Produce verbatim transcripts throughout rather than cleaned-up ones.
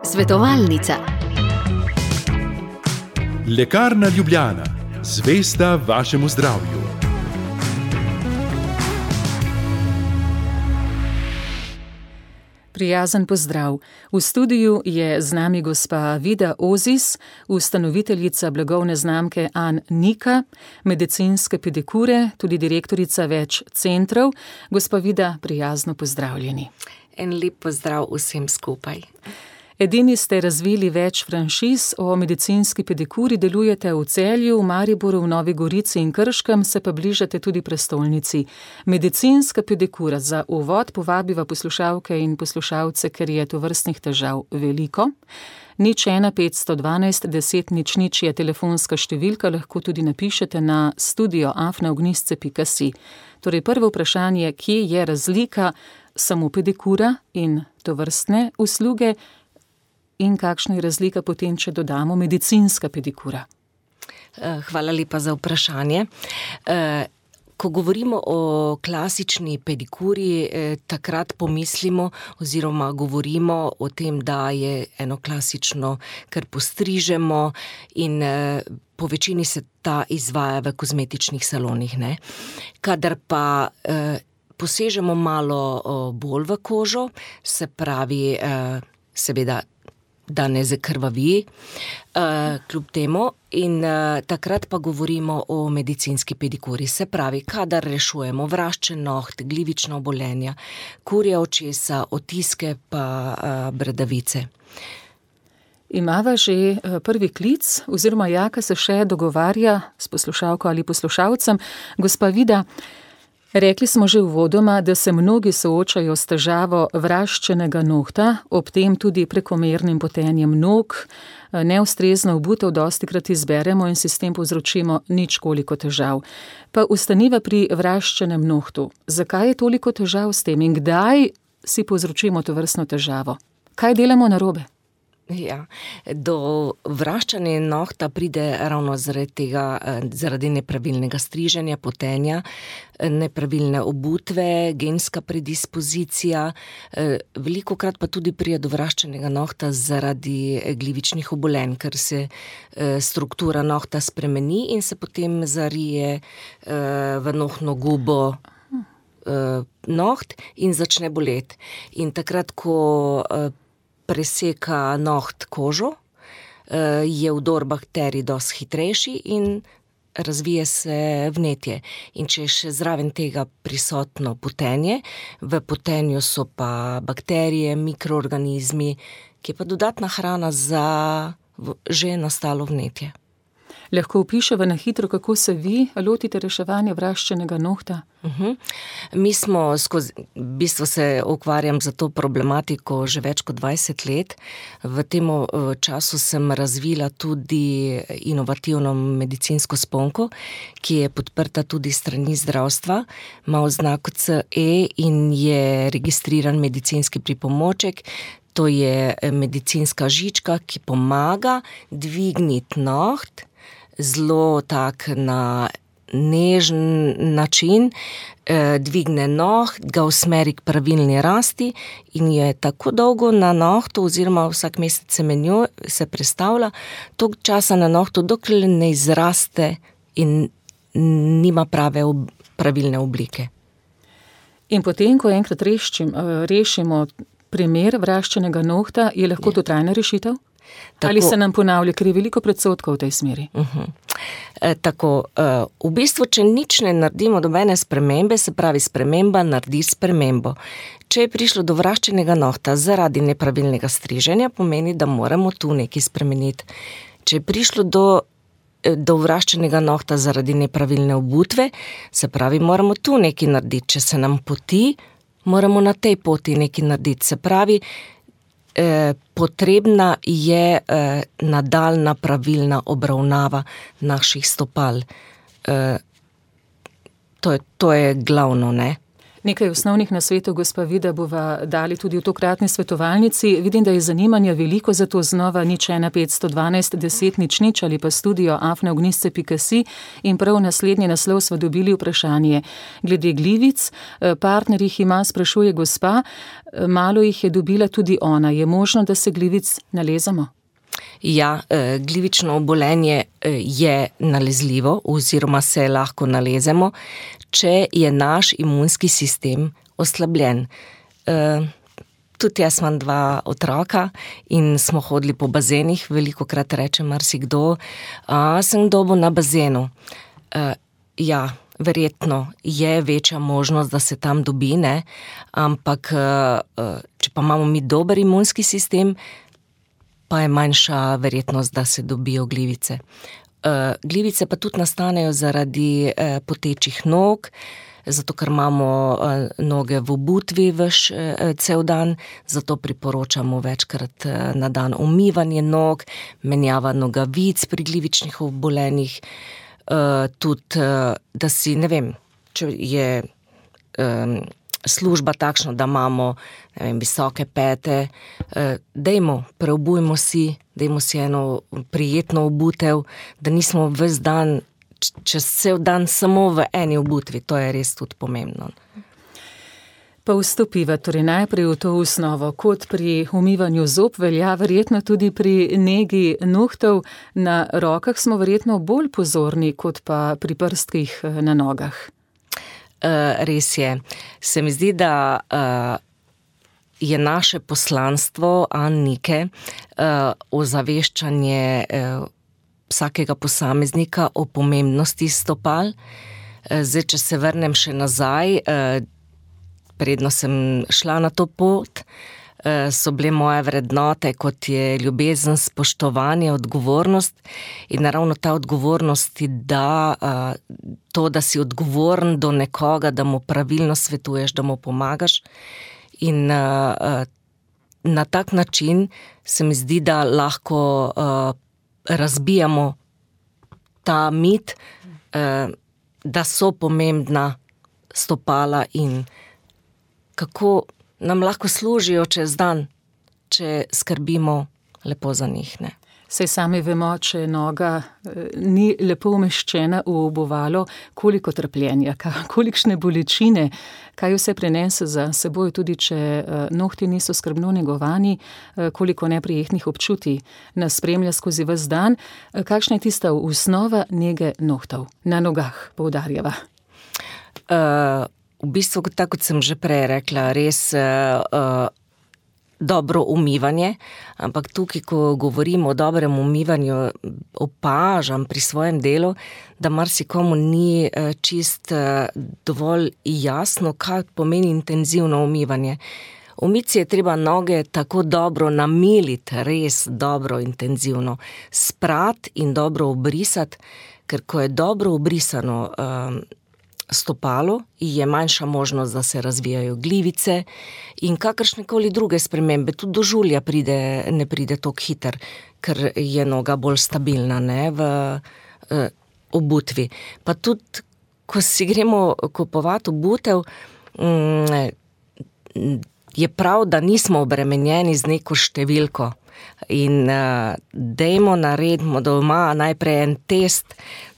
Svetovalnica. Lekarna Ljubljana, zvesta vašemu zdravju. Prijazen pozdrav. V studiu je z nami gospa Vida Ozis, ustanoviteljica blagovne znamke An Nika, medicinske pedikure, tudi direktorica več centrov. Gospa Vida, prijazno pozdravljeni. En lep pozdrav vsem skupaj. Edini ste razvili več franšiz o medicinski pedikuri, delujete v Celju, v Mariboru, v Novi Gorici in Krškem, se pa bližate tudi prestolnici. Medicinska pedikura, za uvod povabiva poslušalke in poslušalce, ker je tovrstnih težav veliko. Nič ena petsto dvanajst deset nič nič je telefonska številka, lahko tudi napišete na studio afna ognjisce pika si. Torej prvo vprašanje, kje je razlika samo pedikura in tovrstne usluge, in kakšna je razlika potem, če dodamo medicinska pedikura? Hvala lepa za vprašanje. Ko govorimo o klasični pedikuri, takrat pomislimo oziroma govorimo o tem, da je eno klasično, kar postrižemo in po večini se ta izvaja v kozmetičnih salonih, ne. Kadar pa posežemo malo bolj v kožo, se pravi, seveda, da ne zakrvavi, uh, kljub temu, in uh, takrat pa govorimo o medicinski pedikuri. Se pravi, kadar rešujemo vraščen noht, glivična obolenja, kurje očesa, otiske pa uh, bradavice. Imava že prvi klic, oziroma Jaka se še dogovarja s poslušalko ali poslušalcem. Gospa Vida, rekli smo že uvodoma, da se mnogi soočajo s težavo vraščenega nohta, ob tem tudi prekomernim potenjem nog, neustrezno obutev dostikrat izberemo in si s tem povzročimo ničkoliko težav. Pa ostaniva pri vraščenem nohtu. Zakaj je toliko težav s tem in kdaj si povzročimo tovrstno težavo? Kaj delamo narobe? Ja, do vraščanja nohta pride ravno zaradi tega, zaradi nepravilnega striženja, potenja, nepravilne obutve, genska predispozicija, velikokrat pa tudi pride do vraščenega nohta zaradi glivičnih obolenj, ker se struktura nohta spremeni in se potem zarije v nohtno gubo noht in začne boleti. In takrat, ko preseka noht kožo, je vdor bakterij dosti hitrejši in razvije se vnetje. In če je še zraven tega prisotno potenje, v potenju so pa bakterije, mikroorganizmi, ki je pa dodatna hrana za že nastalo vnetje. Lahko opiševa na hitro, kako se vi lotite reševanja vraščenega nohta? Uh-huh. Mi smo skozi, v bistvu se ukvarjam za to problematiko že več kot dvajset let. V tem času sem razvila tudi inovativno medicinsko sponko, ki je podprta tudi s strani zdravstva, ima oznako C E in je registriran medicinski pripomoček. To je medicinska žička, ki pomaga dvigniti noht, zelo tak na nežen način, eh, dvigne noht, ga usmeri k pravilni rasti in je tako dolgo na nohtu oziroma vsak mesec se menjuje, se prestavlja, toliko časa na nohtu, dokler ne izraste in nima prave ob, pravilne oblike. In potem, ko enkrat reščim, rešimo primer vraščenega nohta, je lahko to trajna rešitev? Tako, ali se nam ponavlja, ker je veliko predsodkov v tej smeri? Uh-huh. E, tako, e, v bistvu, če nič ne naredimo dobene spremembe, se pravi sprememba naredi spremembo. Če je prišlo do vraščenega nohta zaradi nepravilnega striženja, pomeni, da moramo tu nekaj spremeniti. Če je prišlo do, do vraščenega nohta zaradi nepravilne obutve, se pravi, moramo tu nekaj narediti. Če se nam poti, moramo na tej poti nekaj narediti. Se pravi, Eh, potrebna je eh, nadaljna pravilna obravnava naših stopal. Eh, to, je, to je glavno, ne? Nekaj osnovnih nasvetov, gospa Vida, bova dali tudi v tokratni svetovalnici. Vidim, da je zanimanja veliko, zato znova nič ena petsto dvanajst deset nič nič ali pa studio afna ognjišče pika si in prav naslednji naslov smo dobili vprašanje. Glede glivic, partner jih ima, sprašuje gospa, malo jih je dobila tudi ona. Je možno, da se glivic nalezamo? Ja, glivično obolenje je nalezljivo oziroma se lahko nalezemo, če je naš imunski sistem oslabljen. Tudi jaz imam dva otroka in smo hodili po bazenih, velikokrat reče marsikdo, a sem dobil na bazenu. Ja, verjetno je večja možnost, da se tam dobi, ne? Ampak če pa imamo mi dober imunski sistem, pa je manjša verjetnost, da se dobijo glivice. Glivice pa tudi nastanejo zaradi potečih nog, zato ker imamo noge v obutvi vaš cel dan, zato priporočamo večkrat na dan umivanje nog, menjava nogavic pri glivičnih obolenjih, tudi, da si, ne vem, če je služba takšna, da imamo, ne vem, visoke pete, dajmo, preobujmo si, dajmo si eno prijetno obutev, da nismo ves dan, čez cel dan samo v eni obutvi, to je res tudi pomembno. Pa vstopiva torej najprej v to osnovo, kot pri umivanju zob velja, verjetno tudi pri negi nohtov, na rokah smo verjetno bolj pozorni, kot pa pri prstkih na nogah. Uh, res je. Se mi zdi, da uh, je naše poslanstvo Annike uh, ozaveščanje uh, vsakega posameznika o pomembnosti stopal. Uh, zdaj, če se vrnem še nazaj, uh, predno sem šla na to pot, so bile moje vrednote, kot je ljubezen, spoštovanje, odgovornost in naravno ta odgovornost ti da to, da si odgovoren do nekoga, da mu pravilno svetuješ, da mu pomagaš in na tak način se mi zdi, da lahko razbijamo ta mit, da so pomembna stopala in kako nam lahko služijo čez dan, če skrbimo lepo za njih, ne. Saj sami vemo, če noga ni lepo umeščena v obuvalo, koliko trpljenja, kolikšne bolečine, kaj vse prenese za seboj, tudi če nohti niso skrbno negovani, koliko neprijetnih občutij nas spremlja skozi ves dan. Kakšna je tista osnova nege nohtov na nogah, poudarjava? Uh... V bistvu, tako kot sem že prej rekla, res uh, dobro umivanje, ampak tukaj, ko govorimo o dobrem umivanju, opažam pri svojem delu, da marsikomu ni uh, čist uh, dovolj jasno, kaj pomeni intenzivno umivanje. Umiti je treba noge tako dobro namiliti, res dobro intenzivno, sprati in dobro obrisati, ker ko je dobro obrisano uh, stopalo, je manjša možnost, da se razvijajo glivice in kakršnekoli druge spremembe. Tudi do žulja pride, ne pride toliko hiter, ker je noga bolj stabilna, ne, v uh, obutvi. Pa tudi, ko si gremo kupovati obutev, um, je prav, da nismo obremenjeni z neko številko. In uh, dajmo naredimo doma najprej en test,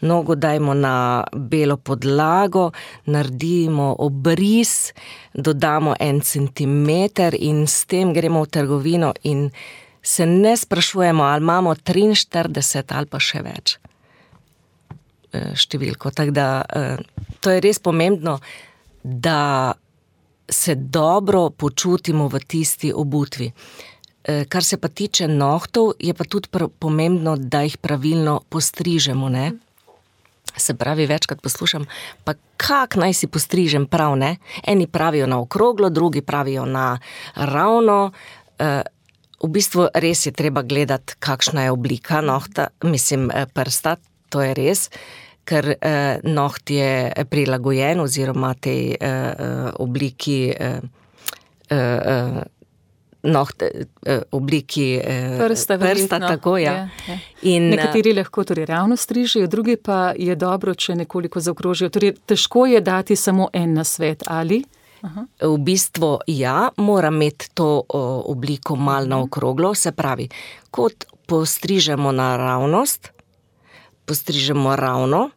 nogo dajmo na belo podlago, naredimo obris, dodamo en centimeter in s tem gremo v trgovino in se ne sprašujemo, ali imamo triinštirideset ali pa še več številko. Tako da uh, to je res pomembno, da se dobro počutimo v tisti obutvi. Kar se pa tiče nohtov, je pa tudi pomembno, da jih pravilno postrižemo, ne. Se pravi, večkrat poslušam, pa kak naj si postrižem prav, ne. Eni pravijo na okroglo, drugi pravijo na ravno. V bistvu res je treba gledati, kakšna je oblika nohta, mislim prsta, to je res, ker noht je prilagojen oziroma tej obliki noht, obliki prsta, prsta tako, ja. Je, je. In, nekateri lahko torej ravno strižijo, drugi pa je dobro, če nekoliko zaokrožijo. Torej, težko je dati samo en nasvet, ali? Aha. V bistvu ja, mora imeti to o, obliko mal naokroglo, se pravi, kot postrižemo naravnost, postrižemo ravno,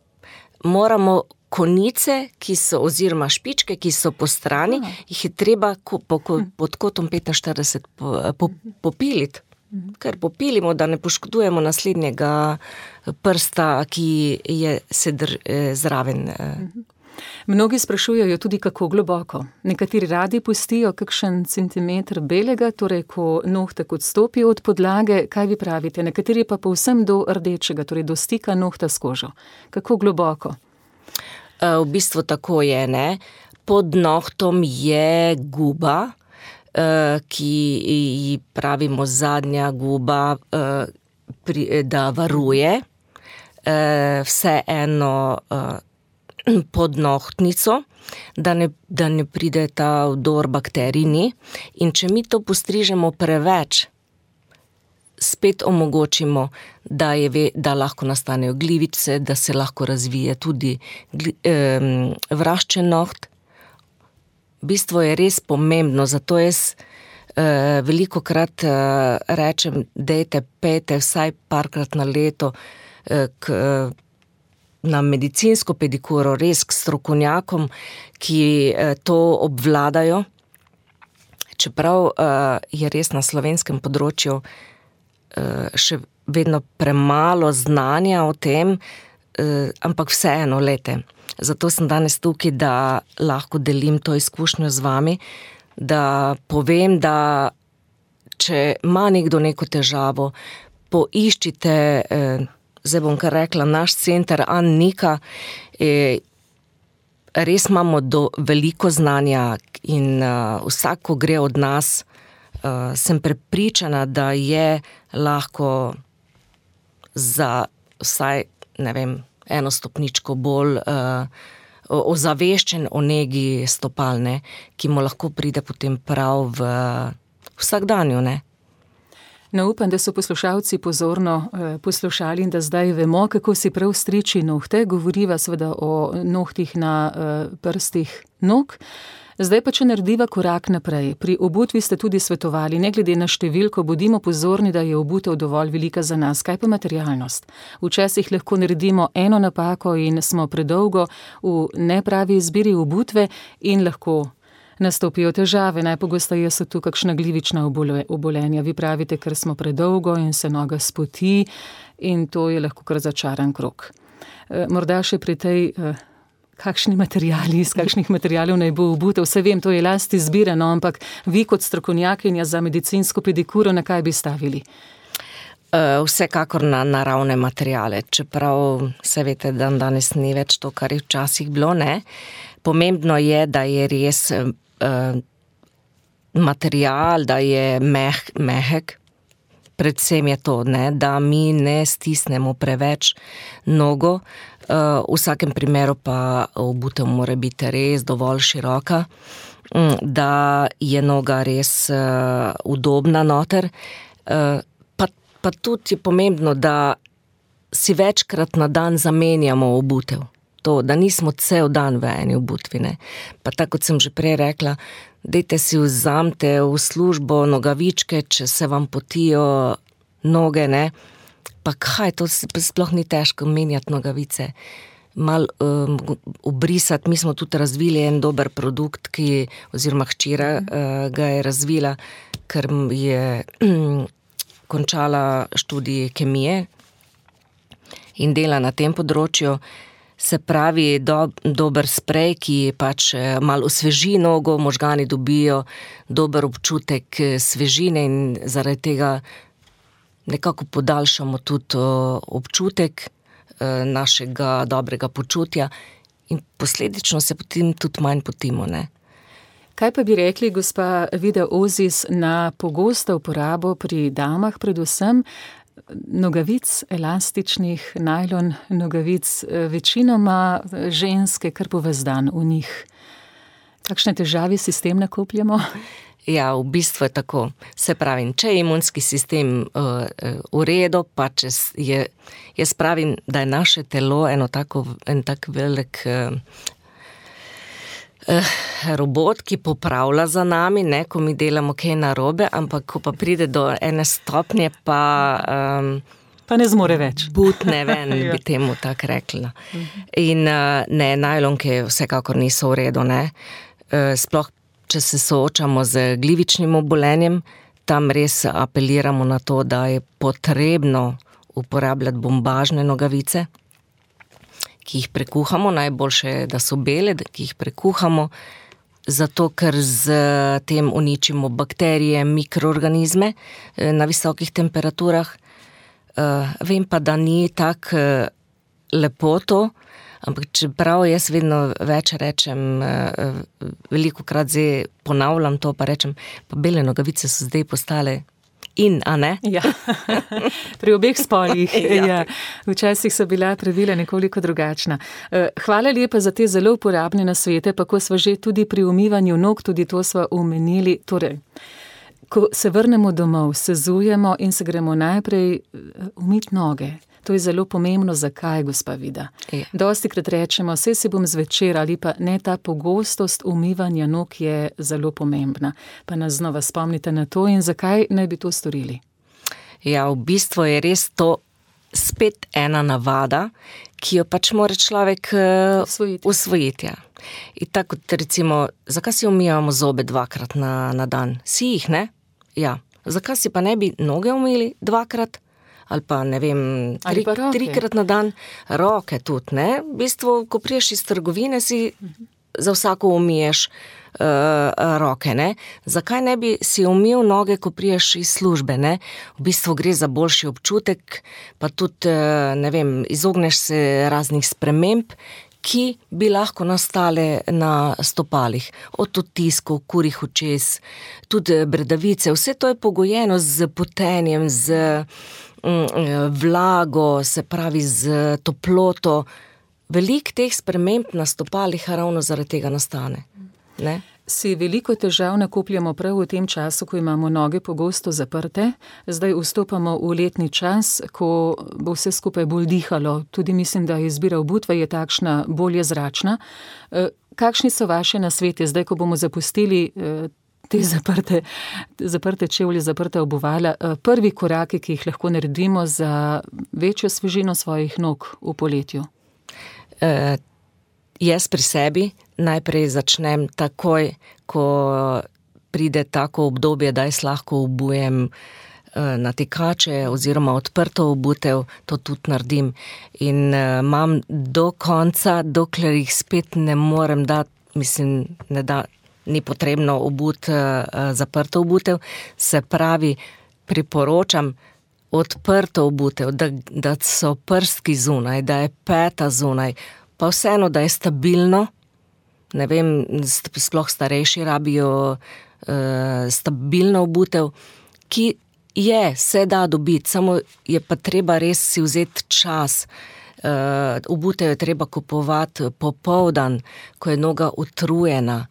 moramo konice, ki so, oziroma špičke, ki so po strani, Aha. jih je treba ko, po, ko, pod kotom petinštirideset po, po, popiliti. Ker popilimo, da ne poškodujemo naslednjega prsta, ki je sedr, zraven. Mnogi sprašujejo tudi, kako globoko. Nekateri radi pustijo kakšen centimeter belega, torej ko nohtek odstopi od podlage, kaj vi pravite? Nekateri pa povsem do rdečega, torej do stika nohta s kožo. Kako globoko? V bistvu tako je, ne. Pod nohtom je guba, ki ji pravimo zadnja guba, da varuje vse eno pod nohtnico, da ne, da ne pride ta vdor bakterijni. In če mi to postrižemo preveč, spet omogočimo, da, je, da lahko nastanejo glivice, da se lahko razvije tudi eh, vraščen noht. V bistvu je res pomembno, zato jaz eh, veliko krat eh, rečem, dejte, pejte vsaj parkrat na leto eh, k, eh, na medicinsko pedikuro, res k strokovnjakom, ki eh, to obvladajo. Čeprav eh, je res na slovenskem področju eh, še vedno premalo znanja o tem, eh, ampak vseeno, lete. Zato sem danes tukaj, da lahko delim to izkušnjo z vami, da povem, da če ima nekdo neko težavo, poiščite, eh, zdaj bom kar rekla, naš center Annika, eh, res imamo do veliko znanja in uh, vsak, ko gre od nas, uh, sem prepričana, da je lahko za vsaj, ne vem, eno stopničko bolj uh, ozaveščen o negi stopalne, ki mu lahko pride potem prav v vsakdanju, ne. No, upam, da so poslušalci pozorno eh, poslušali in da zdaj vemo, kako si prav striči nohte. Govoriva seveda o nohtih na eh, prstih nog. Zdaj pa, če narediva korak naprej. Pri obutvi ste tudi svetovali, ne glede na številko, bodimo pozorni, da je obutev dovolj velika za nas. Kaj pa materialnost? Včasih lahko naredimo eno napako in smo predolgo v nepravi izbiri obutve in lahko nastopijo težave. Najpogosteje so tu kakšna glivična obolenja. Vi pravite, ker smo predolgo in se noga spoti in to je lahko kar začaran krog. Morda še pri tej, kakšni materiali, iz kakšnih materialov naj bo obutev. Vse vem, to je last izbirano, ampak vi kot strokovnjakinja za medicinsko pedikuro, na kaj bi stavili? Vsekakor na naravne materiale, čeprav se veste, da danes ni več to, kar je včasih bilo, ne. Pomembno je, da je res uh, material, da je meh, mehek, predvsem je to, ne, da mi ne stisnemo preveč nogo, uh, v vsakem primeru pa obutev mora biti res dovolj široka, da je noga res uh, udobna noter, uh, pa, pa tudi je pomembno, da si večkrat na dan zamenjamo obutev. To, da nismo cel dan v eni obutvi, ne. Pa tako, kot sem že prej rekla, dajte si vzamte v službo nogavičke, če se vam potijo noge, ne. Pa kaj, to sploh ni težko menjati nogavice. Mal um, obrisati, mi smo tudi razvili en dober produkt, ki, oziroma hčera uh, ga je razvila, ker je um, končala študij kemije in dela na tem področju. Se pravi, do, dober sprej, ki pač malo osveži nogo, možgani dobijo dober občutek svežine in zaradi tega nekako podaljšamo tudi občutek našega dobrega počutja in posledično se potem tudi manj potimo, ne. Kaj pa bi rekli, gospa Vida Ozis, na pogosto uporabo pri damah predvsem nogavic, elastičnih, najlon nogavic, večinoma ženske kar po ves dan v njih. Kakšne težave si s tem nakopljamo? Ja, v bistvu je tako. Se pravim, če je imunski sistem uh, v redu, pa če je, jaz pravim, da je naše telo eno tako, en tak velik uh, robot, ki popravlja za nami, ne, ko mi delamo kaj narobe, ampak ko pa pride do ene stopnje, pa... Um, pa ne zmore več. Butne ven, ja. Bi temu tako rekla. In ne, najlonke vsekakor niso v redu, ne. Sploh, če se soočamo z glivičnim obolenjem, tam res apeliramo na to, da je potrebno uporabljati bombažne nogavice, ki jih prekuhamo, najboljše je, da so bele, ki jih prekuhamo, zato ker z tem uničimo bakterije, mikroorganizme na visokih temperaturah. Vem pa, da ni tako lepo to, ampak čeprav jaz vedno več rečem, velikokrat zdaj ponavljam to, pa rečem, pa bele nogavice so zdaj postale in, a ne? Ja, pri obeh spolih. Ja. Ja. Včasih so bila pravila nekoliko drugačna. Hvala lepa za te zelo uporabne nasvete, pa ko sva že tudi pri umivanju nog, tudi to sva omenili. Torej, ko se vrnemo domov, se zujemo in se gremo najprej umiti noge. To je zelo pomembno. Zakaj, gospa Vida? Ja. Dostikrat rečemo, saj si bom zvečer, ali pa ne, ta pogostost umivanja nog je zelo pomembna. Pa nas znova spomnite na to in zakaj naj bi to storili? Ja, v bistvu je res to spet ena navada, ki jo pač mora človek Usvojiti. usvojiti. Ja. In tako recimo, zakaj si umivamo zobe dvakrat na, na dan? Si jih, ne? Ja. Zakaj si pa ne bi noge umili dvakrat? Ali pa, ne vem, tri, trikrat na dan, roke tudi, ne? V bistvu, ko priješ iz trgovine, si za vsako umiješ uh, roke, ne? Zakaj ne bi si umil noge, ko priješ iz službe, ne? V bistvu gre za boljši občutek, pa tudi, uh, ne vem, izogneš se raznih sprememb, ki bi lahko nastale na stopalih. Od odtiskov, kurih očes, tudi bradavice, vse to je pogojeno z potenjem, z vlago, se pravi z toploto. Veliko teh sprememb na stopalih ravno zaradi tega nastane. Ne? Si veliko težav nakopljamo prav v tem času, ko imamo noge pogosto zaprte. Zdaj vstopamo v letni čas, ko bo vse skupaj bolj dihalo. Tudi mislim, da izbira obutve je takšna bolje zračna. Kakšni so vaše nasvete zdaj, ko bomo zapustili te zaprte, zaprte čevlje, zaprte obuvala, prvi koraki, ki jih lahko naredimo za večjo svežino svojih nog v poletju? Uh, jaz pri sebi najprej začnem takoj, ko pride tako obdobje, da jaz lahko obujem uh, natikače oziroma odprto obutev, to tudi naredim. In uh, imam do konca, dokler jih spet ne morem dati, mislim, ne da, ni potrebno obut, zaprto obutev, se pravi, priporočam odprto obutev, da, da so prstki zunaj, da je peta zunaj, pa vseeno, da je stabilno, ne vem, sploh starejši rabijo uh, stabilno obutev, ki je, se da dobiti, samo je pa treba res si vzeti čas. Uh, obutev je treba kupovati popoldan, ko je noga utrujena,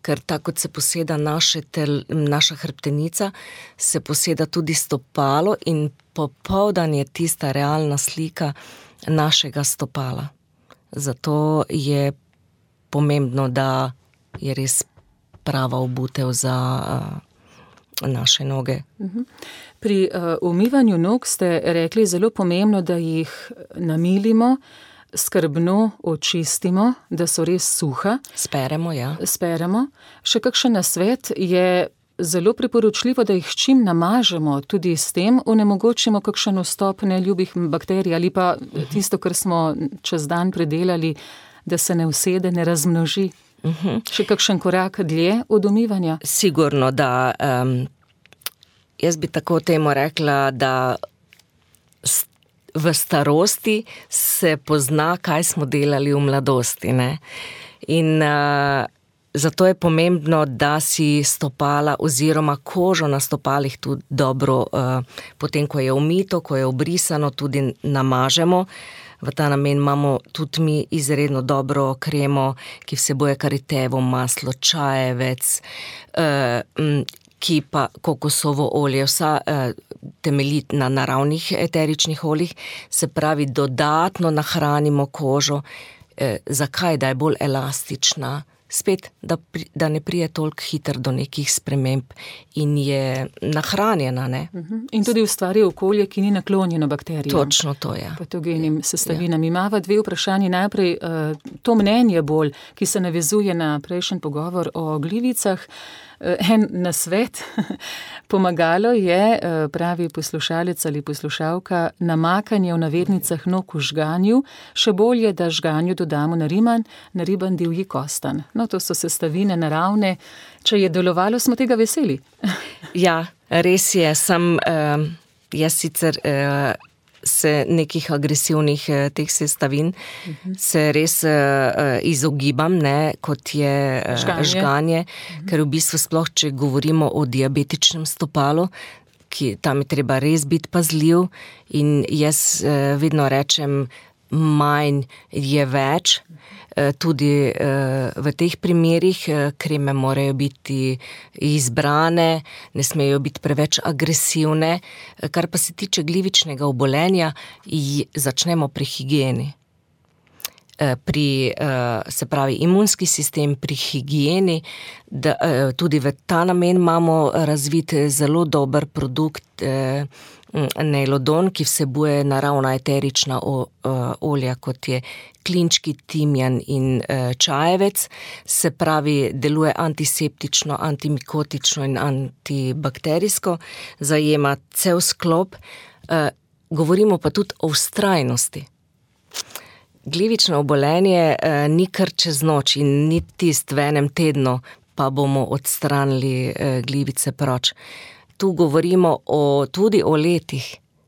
ker tako kot se poseda naše tel, naša hrbtenica, se poseda tudi stopalo in popoldan je tista realna slika našega stopala. Zato je pomembno, da je res prava obutev za uh, naše noge. Pri uh, umivanju nog ste rekli zelo pomembno, da jih namilimo, skrbno očistimo, da so res suha. Speremo, ja. Speremo. Še kakšen nasvet je zelo priporočljivo, da jih čim namažemo, tudi s tem onemogočimo kakšen vstop neljubih bakterij ali pa tisto, kar smo čez dan predelali, da se ne usede, ne razmnoži. Uh-huh. Še kakšen korak dlje od umivanja? Sigurno, da um, jaz bi tako temu rekla, da v starosti se pozna, kaj smo delali v mladosti, ne? In uh, zato je pomembno, da si stopala oziroma kožo na stopalih tudi dobro, uh, potem, ko je umito, ko je obrisano, tudi namažemo. V ta namen imamo tudi mi izredno dobro kremo, ki vsebuje karitevo maslo, čajevec, uh, ki pa kokosovo olje, vsa eh, temelji na naravnih eteričnih oljih, se pravi, dodatno nahranimo kožo. Eh, zakaj? Da je bolj elastična, spet, da, pri, da ne prije toliko hiter do nekih sprememb in je nahranjena. Ne? In tudi ustvari okolje, ki ni naklonjeno bakterijam. Točno to je. Patogenim sestavinam. Ja. Imava dve vprašanje. Najprej to mnenje bolj, ki se navezuje na prejšnji pogovor o glivicah. En nasvet, pomagalo je, pravi poslušalec ali poslušalka, namakanje v navednicah nog v žganju, še bolje, da žganju dodamo nariban, nariban divji kostan. No, to so sestavine naravne, če je delovalo, smo tega veseli. Ja, res je, sem uh, jaz sicer uh, se nekih agresivnih uh, teh sestavin uh-huh. se res uh, izogibam, ne, kot je uh, žganje, žganje uh-huh. ker v bistvu sploh, če govorimo o diabetičnem stopalu, ki tam je treba res biti pazljiv in jaz uh, vedno rečem, manj je več, tudi v teh primerih kreme morajo biti izbrane, ne smejo biti preveč agresivne, kar pa se tiče glivičnega obolenja, začnemo pri higieni. Pri, se pravi, imunski sistem, pri higieni, da, tudi v ta namen imamo razvit zelo dober produkt Neilodon, ki vsebuje naravna eterična olja, kot je klinčki, timjan in čajevec, se pravi, deluje antiseptično, antimikotično in antibakterijsko, zajema cel sklop, govorimo pa tudi o vztrajnosti. Glivično obolenje ni kar čez noč in ni tist v enem tednu, pa bomo odstranili glivice proč. Tu govorimo o, tudi o letih,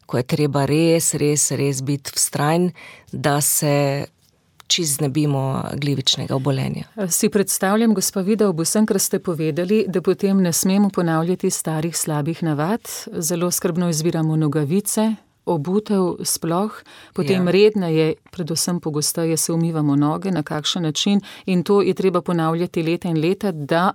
ko je treba res, res, res biti vztrajen, da se čisto znebimo glivičnega obolenja. Si predstavljam, gospa Vida, ob vsem, kar ste povedali, da potem ne smemo ponavljati starih slabih navad, zelo skrbno izbiramo nogavice, obutev sploh, potem ja. redneje, predvsem pogosteje se umivamo noge, na kakšen način in to je treba ponavljati leta in leta, da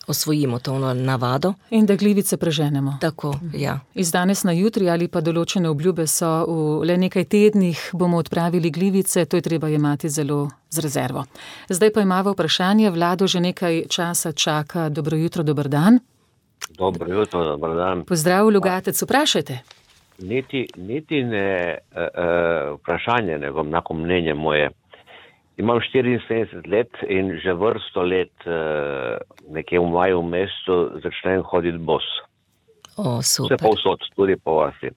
osvojimo to navado. In da glivice preženemo. Tako, ja. Iz danes na jutri ali pa določene obljube so v le nekaj tednih bomo odpravili glivice, to je treba jemati zelo z rezervo. Zdaj pa imamo vprašanje, Vlado že nekaj časa čaka. Dobro jutro, dober dan. Dobro jutro, dober dan. Pozdrav, Logatec, vprašajte. Niti, niti ne uh, vprašanje, nego enako mnenje moje. Imam štiriinsedemdeset let in že vrsto let uh, nekje v maju mestu začnem hoditi bos. O, super. Vse povsod, tudi po vasi.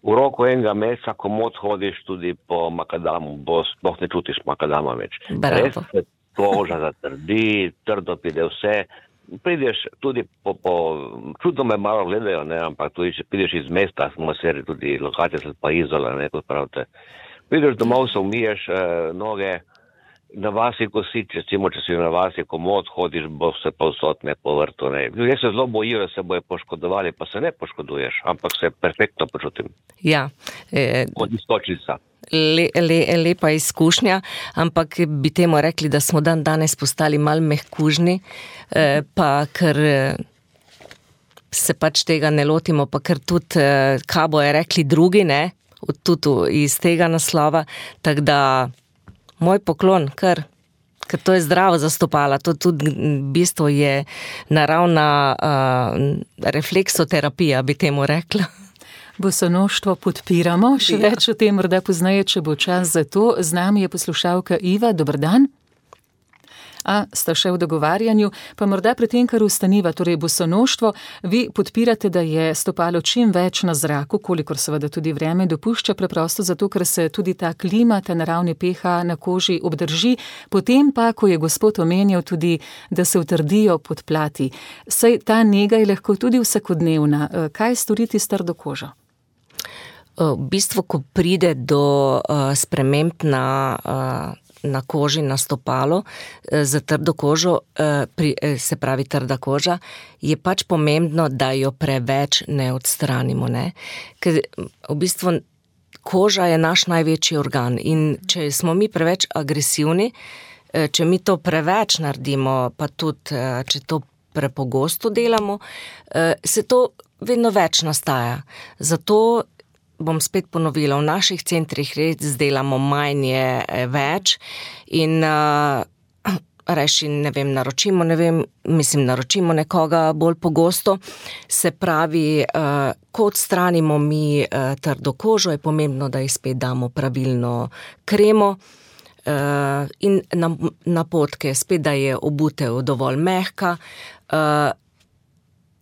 V roku enega meseca komot hodiš tudi po makadamu bos, sploh ne čutiš makadama več. Bravo. Res se koža zatrdi, trdo pride vse. Prideš tudi po, po čudno me malo gledajo, ne, ampak tudi če prideš iz mesta, smo seri tudi Logatec pa Izola, ne, kot pravite. Prideš domov, se umiješ eh, noge, na vasi kosič, recimo, če si na vasi komod, hodiš bo se povsod, ne, po vrtu, ne. Ljudje se zelo bojijo, da se bojo poškodovali, pa se ne poškoduješ, ampak se perfektno počutim. Ja. E, Od istočnica. Le, le, lepa izkušnja, ampak bi temu rekli, da smo dan danes postali malo mehkužni, eh, pa ker se pač tega ne lotimo, pa ker tudi, eh, kaj bojo rekli drugi, ne, tudi iz tega naslova, tako da moj poklon, ker, ker to je zdravo za stopala, to tudi v bistvu je naravna uh, refleksoterapija, bi temu rekla. Bosonoštvo podpiramo, še ja. več o tem morda poznaje, če bo čas za to. Z nami je poslušalka Iva, dober dan. A, sta še v dogovarjanju, pa morda pri tem, kar ustaniva, torej bosonoštvo, vi podpirate, da je stopalo čim več na zraku, kolikor seveda tudi vreme dopušča, preprosto zato, ker se tudi ta klima, ta naravni pH na koži obdrži, potem pa, ko je gospod omenjal tudi, da se utrdijo podplati. Saj ta nega je lahko tudi vsakodnevna. Kaj storiti s trdo kožo? V bistvu, ko pride do uh, sprememb na uh, na koži, na stopalo, za trdo kožo, se pravi trda koža, je pač pomembno, da jo preveč ne odstranimo, ne. Ker v bistvu koža je naš največji organ in če smo mi preveč agresivni, če mi to preveč naredimo, pa tudi, če to prepogosto delamo, se to vedno več nastaja. Zato bom spet ponovila, v naših centrih res delamo manj je več in uh, reši, ne vem, naročimo, ne vem, mislim, naročimo nekoga bolj pogosto. Se pravi, ko odstranimo mi trdo kožo, je pomembno, da ji spet damo pravilno kremo in napotke, spet, da je obutev dovolj mehka.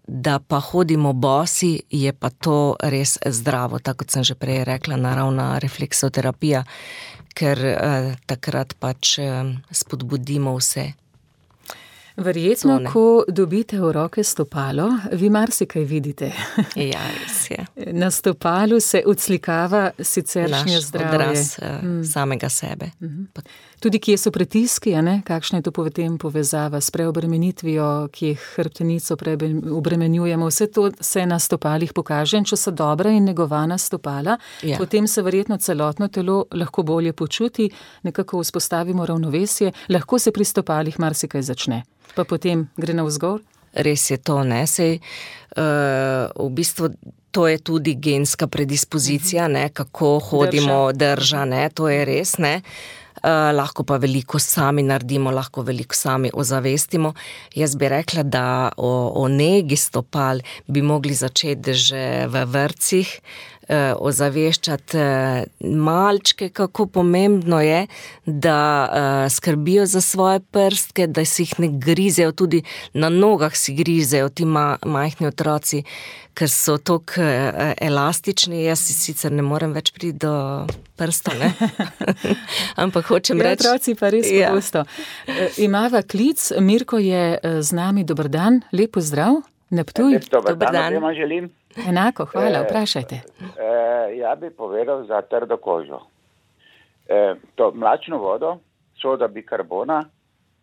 Da pa hodimo bosi, je pa to res zdravo, tako kot sem že prej rekla, naravna refleksoterapija, ker eh, takrat pač eh, spodbudimo vse. Verjetno, Tone. ko dobite v roke stopalo, vi marsikaj vidite. Ja, res je. Na stopalu se odslikava siceršnje Naš zdravje. odraz eh, mm. samega sebe. Mm. Tudi kje so pritiski, a ne? Kakšna je to potem povezava s preobremenitvijo, ki jih hrbtenico preobremenjujemo. Vse to se na stopalih pokaže, in če so dobra in negovana stopala, ja. Potem se verjetno celotno telo lahko bolje počuti, nekako vzpostavimo ravnovesje, lahko se pri stopalih marsikaj začne, pa potem gre navzgor. Res je to, ne, sej, uh, v bistvu to je tudi genska predispozicija, ne, kako hodimo, drža, drža ne, to je res, ne. Uh, lahko pa veliko sami naredimo, lahko veliko sami ozavestimo. Jaz bi rekla, da o, o negi stopal bi mogli začeti že v vrtcih, uh, ozaveščati uh, malčke, kako pomembno je, da uh, skrbijo za svoje prstke, da si jih ne grizejo, tudi na nogah si grizejo ti ma, majhni otroci, ker so toliko uh, elastični. Jaz si sicer ne morem več priti do prsta, ne? Ampak hočem ja, reči... Otroci pa res ja. pogosto. E, imava klic, Mirko je z nami, dober dan, lep pozdrav, na Ptuj. Dober, dober dan. dan. Želim. Enako, hvala, vprašajte. E, e, ja bi povedal za trdo kožo. E, to mlačno vodo, soda bikarbona,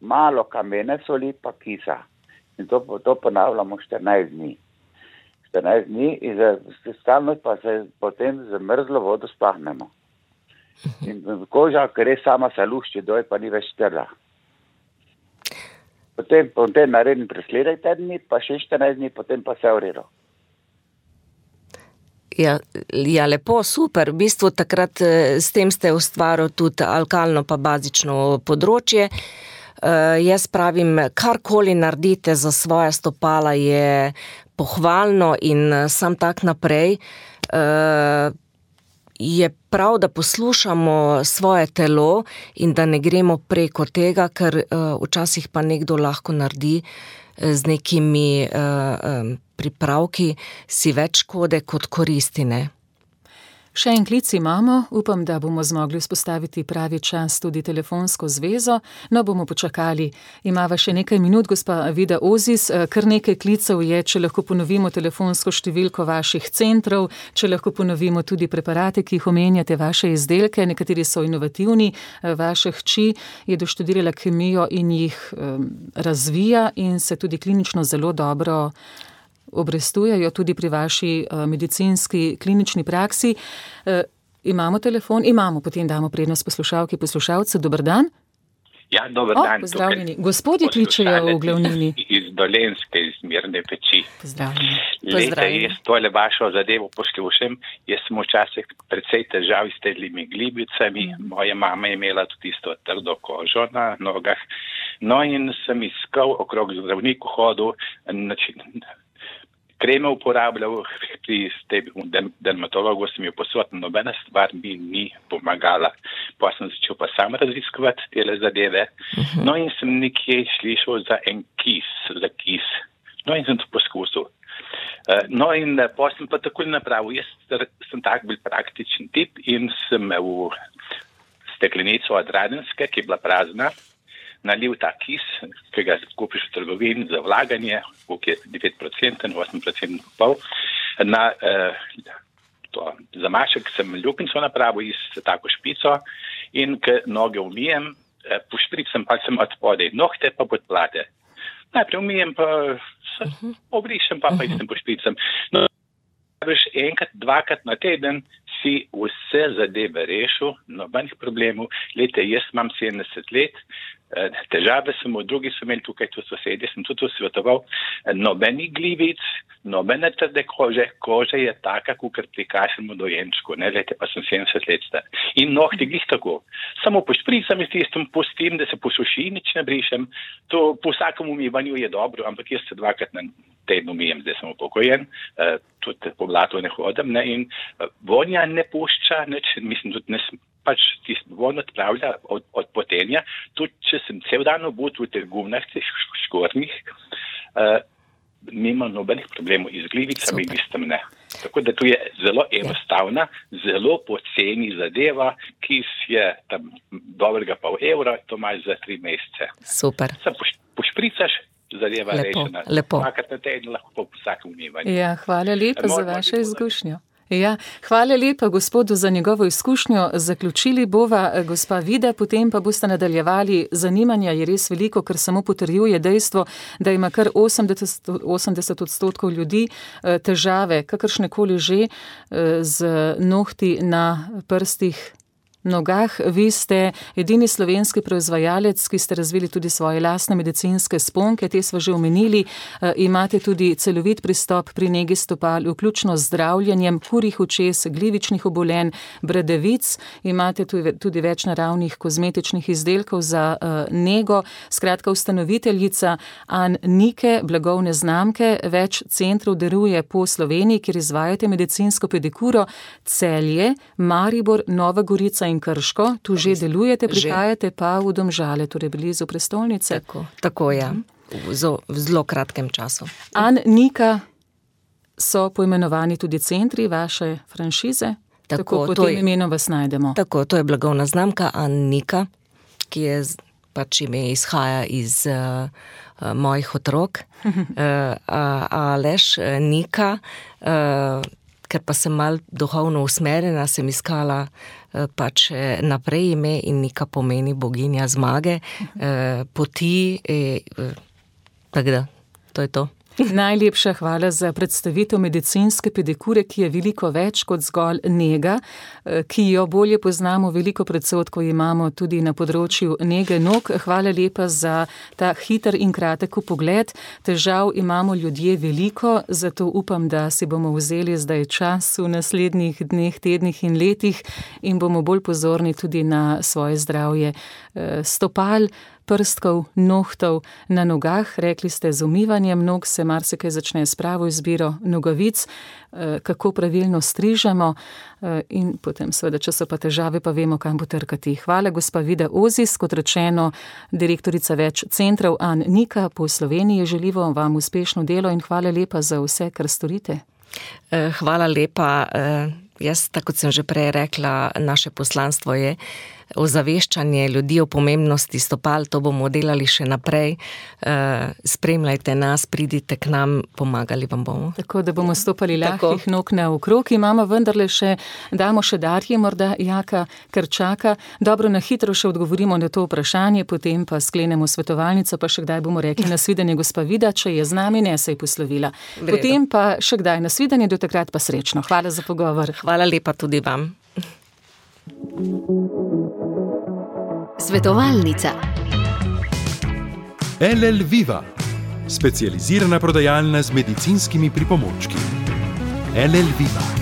malo kamene soli pa kisa. In to, to ponavljamo štirinajst dni. štirinajst dni in za, stalno pa se potem z mrzlo vodo spahnemo. In koža, ker res sama se lušči, doj pa ni več trda. Potem, potem naredim presledaj dni, pa še štirinajst dni, potem pa se uredo. Ja, ja, lepo, super. V bistvu takrat s tem ste ustvarili tudi alkalno pa bazično področje. Uh, jaz pravim, karkoli naredite za svoja stopala je pohvalno in sam tak naprej. Uh, je prav, da poslušamo svoje telo in da ne gremo preko tega, ker uh, včasih pa nekdo lahko naredi z nekimi uh, um, pripravki si več škode kot koristi, ne? Še en klic imamo, upam, da bomo zmogli vzpostaviti pravi čas tudi telefonsko zvezo, no bomo počakali. Imava še nekaj minut, gospa Vida Ozis, kar nekaj klicev je, če lahko ponovimo telefonsko številko vaših centrov, če lahko ponovimo tudi preparate, ki jih omenjate, vaše izdelke, nekateri so inovativni, vaša hči je doštudirala kemijo in jih um, razvija in se tudi klinično zelo dobro obrestujejo tudi pri vaši uh, medicinski klinični praksi. Uh, imamo telefon? Imamo, potem damo prednost poslušalki, poslušalcu. Dober dan. Ja, dober o, dan. Pozdravljeni. Gospodje kličejo v glavnini. Iz Dolenjske, iz Mirne Peči. Pozdravljeni. Lejte, jaz tole vašo zadevo poslušam. Jaz sem včasih precej težav s tedlimi glibicami. Mm. Moja mama je imela tudi isto trdo kožo na nogah. No in sem iskal okrog zdravniku hodil, način, kreme uporabljal, pri dermatologu sem jo posodil, nobena stvar mi ni pomagala. Pa sem začel pa sam raziskovati tele zadeve. Uh-huh. No in sem nekje slišal za en kis, za kis. No in sem to poskusil. Uh, no in pa sem pa takoj napravil. Jaz sem tak bil praktičen tip in sem v steklenico od Radenske, ki je bila prazna, nalil ta kis, ki ga kupiš v trgovini za vlaganje, koliko je devet procentov, osem procentov pol. Na eh, to zamašek sem luknjico napravil iz tako špico in k noge umijem, eh, pošpricam pa sem od spodaj nohte pa pod plate. Najprej umijem pa obrišem pa pa istem pošpricam. No, veš, enkrat, dvakrat na teden si vse zadeve rešil, nobenih problemov. Lejte, jaz imam sedemdeset let, težave samo, drugi so imeli tukaj tu sosedje, sem tudi svetoval, nobeni glivic, nobene trde kože, koža je taka, kukor prikašemo dojenčku, ne, lete, pa sem sedemdeset let star. In nohti glih tako. Samo pošpricam s tistim, pustim, da se posuši, nič ne brišem. To po vsakem umivanju je dobro, ampak jaz se dvakrat na teden umijem, zdaj sem upokojen, uh, tudi po blatu ne hodim, ne, in uh, vonja ne pušča, nič, mislim, tudi ne pač tisti von odpravlja od, od potenja, tudi če sem cel dan obut v teh gumnah, teh škornjih, uh, nima nobenih problemov z glivicami, listom ne. Tako da tu je zelo enostavna, zelo poceni zadeva, ki je tam dobrega pol evra, to imaš za tri mesece. Super. Sam poš, pošpricaš, zadeva lepo, rešena. Lepo. Dvakrat na teden lahko po vsakem umivanju. Ja, hvala lepa za vašo izkušnjo. Ja, hvala lepa gospodu za njegovo izkušnjo. Zaključili bova gospa Vida, potem pa boste nadaljevali. Zanimanja je res veliko, ker samo potrjuje dejstvo, da ima kar osemdeset, osemdeset odstotkov ljudi težave, kakršnekoli že, z nohti na prstih, nogah. Vi ste edini slovenski proizvajalec, ki ste razvili tudi svoje lastne medicinske sponke, te smo že omenili. E, imate tudi celovit pristop pri negi stopal, vključno z zdravljenjem kurjih očes, glivičnih obolenj, bradavic. Imate tudi, tudi več naravnih kozmetičnih izdelkov za e, nego. Skratka, ustanoviteljica An Nike, blagovne znamke, več centrov deluje po Sloveniji, kjer izvajate medicinsko pedikuro. Celje, Maribor, Nova Gorica in Krško, tu že delujete, prihajate pa v Domžale, torej blizu prestolnice. Tako, tako ja, v zelo, v zelo kratkem času. An Nika so poimenovani tudi centri vaše franšize, tako, tako po tem imenu vas najdemo. Tako, to je blagovna znamka An Nika, ki je pač ime izhaja iz uh, uh, mojih otrok, uh, Aleš, uh, Nika, uh, ker pa sem mal duhovno usmerjena, sem iskala uh, pač naprej ime in Nika pomeni boginja zmage, uh, poti, uh, tako da, to je to. Najlepša hvala za predstavitev medicinske pedikure, ki je veliko več kot zgolj nega, ki jo bolje poznamo, veliko predsodkov imamo tudi na področju nege nog. Hvala lepa za ta hiter in kratek pogled. Težav imamo ljudje veliko, zato upam, da si bomo vzeli zdaj čas v naslednjih dneh, tednih in letih in bomo bolj pozorni tudi na svoje zdravje stopal, prstkov, nohtov na nogah. Rekli ste, z umivanjem nog se marsikaj začne s pravo izbiro nogavic, kako pravilno strižemo in potem seveda, če so pa težave, pa vemo, kam potrkati. Hvala, gospa Vida Ozis, kot rečeno, direktorica več centrov An Nika po Sloveniji. Želimo vam uspešno delo in hvala lepa za vse, kar storite. Hvala lepa. Jaz, tako kot sem že prej rekla, naše poslanstvo je ozaveščanje ljudi o pomembnosti stopal, to bomo delali še naprej. Spremljajte nas, pridite k nam, pomagali vam bomo. Tako, da bomo stopali lahkih nog naokrog. Imamo vendarle še, damo še Darje, morda Jaka Krčaka. Dobro, na hitro še odgovorimo na to vprašanje, potem pa sklenemo svetovalnico, pa še kdaj bomo rekli nasvidenje gospa Vida, če je z nami, ne se je poslovila. Vredo. Potem pa še kdaj nasvidenje, do takrat pa srečno. Hvala za pogovor. Hvala lepa tudi vam. Svetovalnica. L L Viva, specializirana prodajalna z medicinskimi pripomočki. L L Viva.